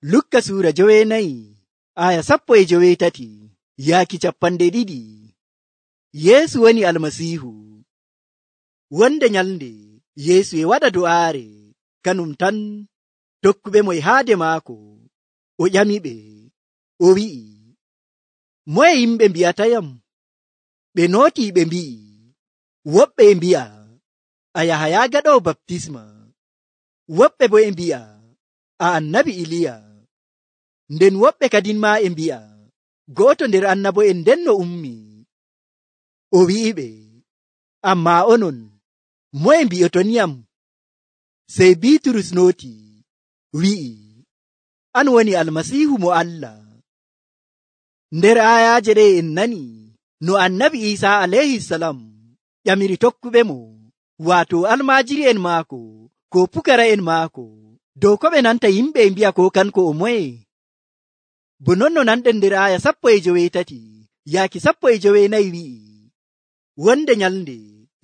Lukka suura 9 aya 17 yaaki 200. Yeesu woni Almasiihu. Wonde nyalnde Yeesu e waɗa do'aare kanum tan tokkuɓe mo e haade maako. O ƴamiɓe, o wi'i, moye yimɓe mbi'atayam? Ɓe nootii ɓe mbi'i, woɓɓe e mbi'a a Yahaya gaɗoowo baptisma, woɓɓe bo e mbi'a a annabi Iliya, nden woɓɓe kadin maa e mbi'a go'oto nder annabo'en ndenno ummi. O wi'iɓe, ammaa onon moye mbi'otoniyam? Sey Biiturus nooti wi'i, an woni Almasiihu mo Allah. Nder aayaaje ɗe en nani no annabi Iisaa alayhisalam ƴamiri tokkuɓe mo, waato almaajiri'en maako ko pukara'en maako, dow ko ɓe nanta yimɓe e mbi'a ko kanko o moye. Bo non no nanɗen nder aaya 13 yaaki 14 wi'i, wonde nyalnde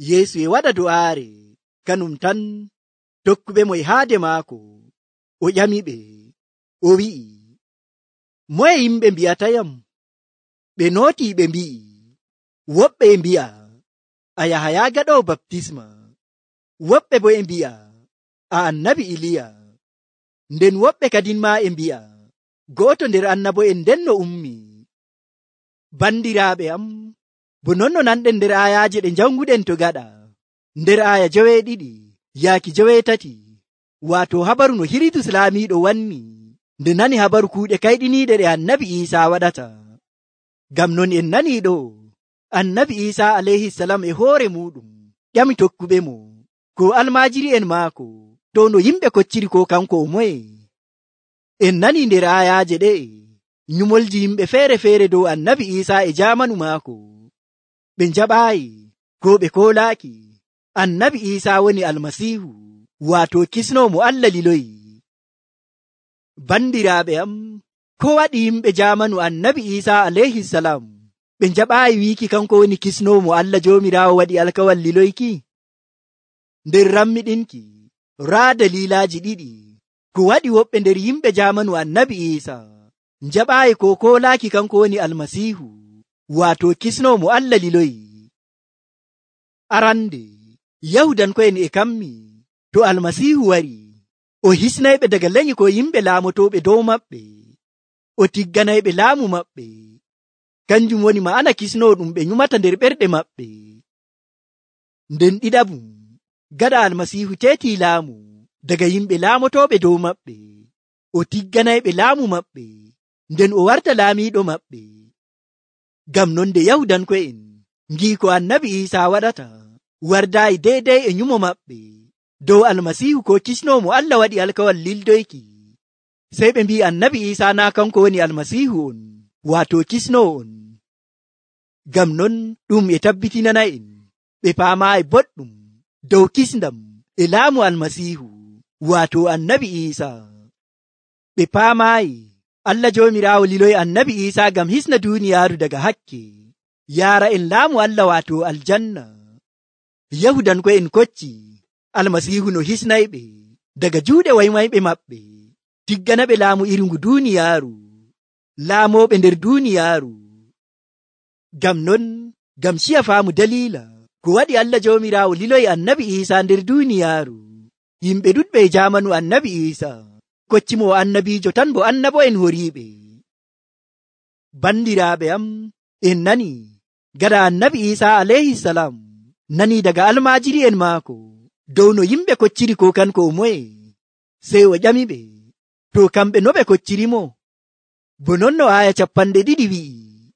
Yeesu e waɗa do'aare kanum tan tokkuɓe mo e haade maako. O ƴamiɓe, o wi'i, moye yimɓe mbi'atayam? Ɓe nootii ɓe mbi'i, woɓɓe e mbi'a a Yahaya gaɗoowo baptisma, woɓɓe bo e mbi'a a annabi Iliya, nden woɓɓe kadin maa e mbi'a go'oto nder annabo'en ndenno ummi. Bandiraaɓe am, bo non no nanɗen nder aayaaje ɗe janguɗen to gaɗa, nder aaya 12 yaaki 13, waato habaru no Hiridus laamiiɗo wanni nde nani habaru kuuɗe kayɗiniiɗe ɗe annabi Iisaa waɗata. Ngam non en nanii ɗo annabi Iisaa alayhisalam e hoore muɗum ƴami tokkuɓe mo ko almaajiri'en maako dow no yimɓe kocciri ko kanko o moye. En nanii nder aayaaje ɗe nyumolji yimɓe feere-feere dow annabi Iisaa e jaamanu maako. Ɓe njaɓaayi ko ɓe koolaaki annabi Iisaa woni Almasiihu, waato kisnoowo mo Allah liloyi. Bandiraaɓe am, ko waɗi yimɓe jaamanu annabi Iisaa alayhisalam ɓe njaɓaayi wiiki kanko woni kisnoowo mo Allah Joomiraawo waɗi alkawal liloyki? Nder rammiɗinki raa daliilaaji 2 ko waɗi woɓɓe nder yimɓe jaamanu annabi Iisaa njaɓaayi ko koolaaki kanko woni Almasiihu, waato kisnoowo mo Allah liloyi. Arande Yahudanko'en e kammi to Almasiihu wari, o hisnayɓe daga lenyi ko yimɓe laamotooɓe dow maɓɓe, o tigganayɓe laamu maɓɓe. Kanjum woni ma'ana kisnoowo ɗum ɓe nyumata nder ɓerɗe maɓɓe. Nden ɗiɗabum, gaɗa Almasiihu teetii laamu daga yimɓe laamotooɓe dow maɓɓe, o tigganayɓe laamu maɓɓe, nden o warta laamiiɗo maɓɓe. Ngam non nde Yahudanko'en ngii ko annabi Iisaa waɗata wardaayi deydey e nyumo maɓɓe dow Almasiihu ko kisnoowo mo Allah waɗi alkawal lildoyki, sey ɓe mbi'i annabi Iisaa naa kanko woni Almasiihu on, waato kisnoowo on. Ngam non ɗum e tabbitinana'en ɓe paamaayi boɗɗum dow kisndam e laamu Almasiihu, waato annabi Iisaa. Ɓe paamaayi Allah Joomiraawo liloyi annabi Iisaa ngam hisna duuniyaaru daga hakke, yaara en laamu Allah waato aljanna. Yahudanko'en kocci Almasiihu no hisnayɓe daga juuɗe waymayɓe maɓɓe, tigganaɓe laamu iringu duuniyaaru, laamooɓe nder duuniyaaru. Ngam non, ngam ciya faamu daliila ko waɗi Allah Joomiraawo liloyi annabi Iisaa nder duuniyaaru, yimɓe ɗuɗɓe e jaamanu annabi Iisaa koccimo annabiijo tan bo annabo'en horiiɓe. Bandiraaɓe am, en nani gaɗa annabi Iisaa alayhisalam nani daga almaajiri'en maako dow no yimɓe kocciri ko kanko o moye, sey o ƴamiɓe to kamɓe no ɓe koccirimo. Bo non no aaya 2 wi'i,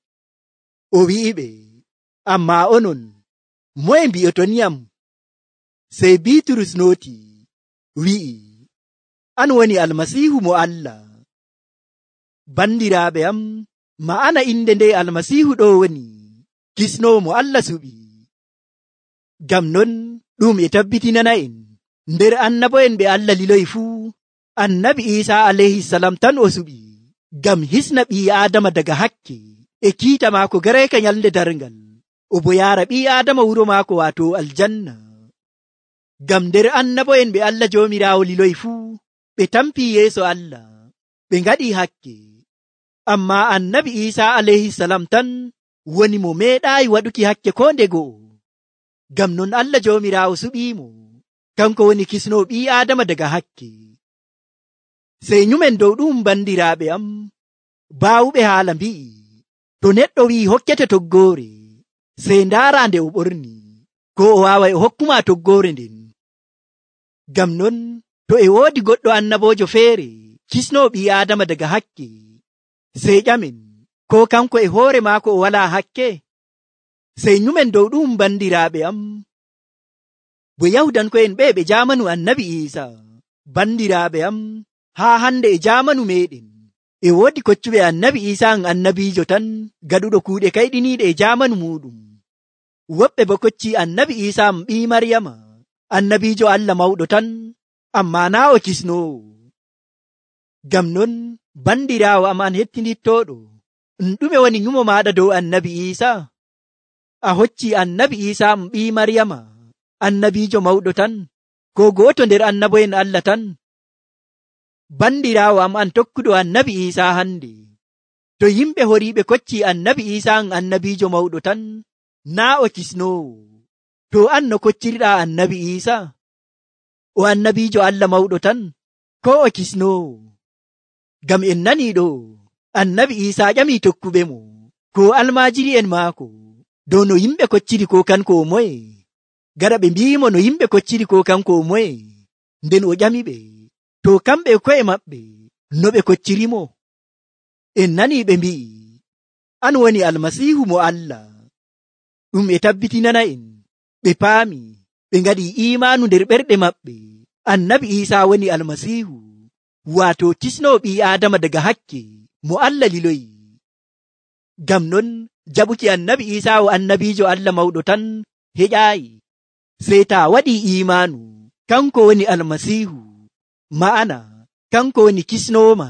o wi'iɓe, ammaa onon moye mbi'otoniyam? Sey Biiturus nooti wi'i, an woni Almasiihu mo Allah. Bandiraaɓe am, ma'ana inde nde Almasiihu ɗo woni kisnoowo mo Allah suɓi. Ngam non ɗum e tabbitinana'en nder annabo'en ɓe Allah liloyi fuu, annabi Iisaa alayhisalam tan o suɓi ngam hisna ɓii Aadama daga hakke e kiita maako garayka nyalnde darngal, o bo yaara ɓii Aadama wuro maako waato aljanna. Ngam nder annabo'en ɓe Allah Joomiraawo liloyi fuu ɓe tampii yeeso Allah ɓe ngaɗi hakke. Ammaa annabi Iisaa alayhisalam tan woni mo meeɗaayi waɗuki hakke koo nde go'o. Ngam non Allah Joomiraawo suɓiimo, kanko woni kisnoo ɓii Aadama daga hakke. Sey nyumen dow ɗum bandiraaɓe am, baawuɓe haala mbi'i, to neɗɗo wi'i hokkete toggoore, sey ndaara nde o ɓorni, ko o waaway o hokkuma toggoore nden. Ngam non to e woodi goɗɗo annaboojo feere kisnoo ɓii Aadama daga hakke, sey ƴamen ko kanko e hoore maako o walaa hakke. Sey nyumen dow ɗum bandiraaɓe am, bo Yahudanko'en ɓe ɓe jaamanu annabi Iisaa. Bandiraaɓe am, haa hande e jaamanu meeɗen e woodi koccuɓe annabi Iisaa annabiijo tan gaɗuɗo kuuɗe kayɗiniiɗe e jaamanu muuɗum. Woɓɓe bo koccii annabi Iisaa ɓii Maryama annabiijo Allah mawɗo tan, ammaa naa o kisnoowo. Ngam non bandiraawo am an hettinittooɗo, ɗume woni nyumo maaɗa dow annabi Iisaa? A hoccii annabi Iisaa ɓii Maryama annabiijo mawɗo tan, ko gooto nder annabo'en Allah tan? Bandiraawo am an tokkuɗo annabi Iisaa hande, to yimɓe horiiɓe koccii annabi Iisaa annabiijo mawɗo tan, naa o kisnoowo. To an no koccirɗaa annabi Iisaa? O annabiijo Allah mawɗo tan, ko o kisnoowo? Ngam en nanii ɗo, annabi Iisaa ƴamii tokkuɓe mo, ko almaajiri'en maako, dow no yimɓe kocciri ko kanko o moye. Gaɗa ɓe mbi'imo no yimɓe kocciri ko kanko o moye, nden o ƴamiɓe, to kamɓe ko'e maɓɓe no ɓe koccirimo. En nanii ɓe mbi'i, an woni Almasiihu mo Allah. Ɗum e tabbitinana en, ɓe paami, ɓe ngaɗi iimaanu nder ɓerɗe maɓɓe, annabi Iisaa woni Almasiihu, waato kisnoo ɓii Aadama daga hakke mo Allah liloyi. Ngam non jaɓuki annabi Iisaa o annabiijo Allah mawɗo tan heƴaayi, sey taa waɗii iimaanu kanko woni Almasiihu, ma'ana kanko woni kisnooma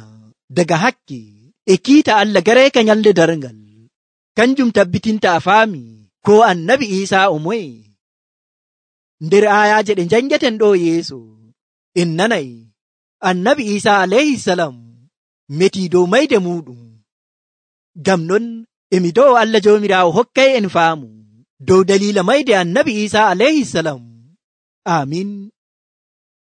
daga hakke e kiita Allah gareeka nyalde darngal. Kanjum tabbitinta a faami ko annabi Iisaa o moye. Nder aayaaje ɗe njangeten ɗo yeeso, en nanay annabi Iisaa alayhisalam metii dow mayde muuɗum. Ngam non emi do'o Allah Joomiraawo hokkay en faamu dow daliila mayde annabi Iisaa alayhisalam. Aamin.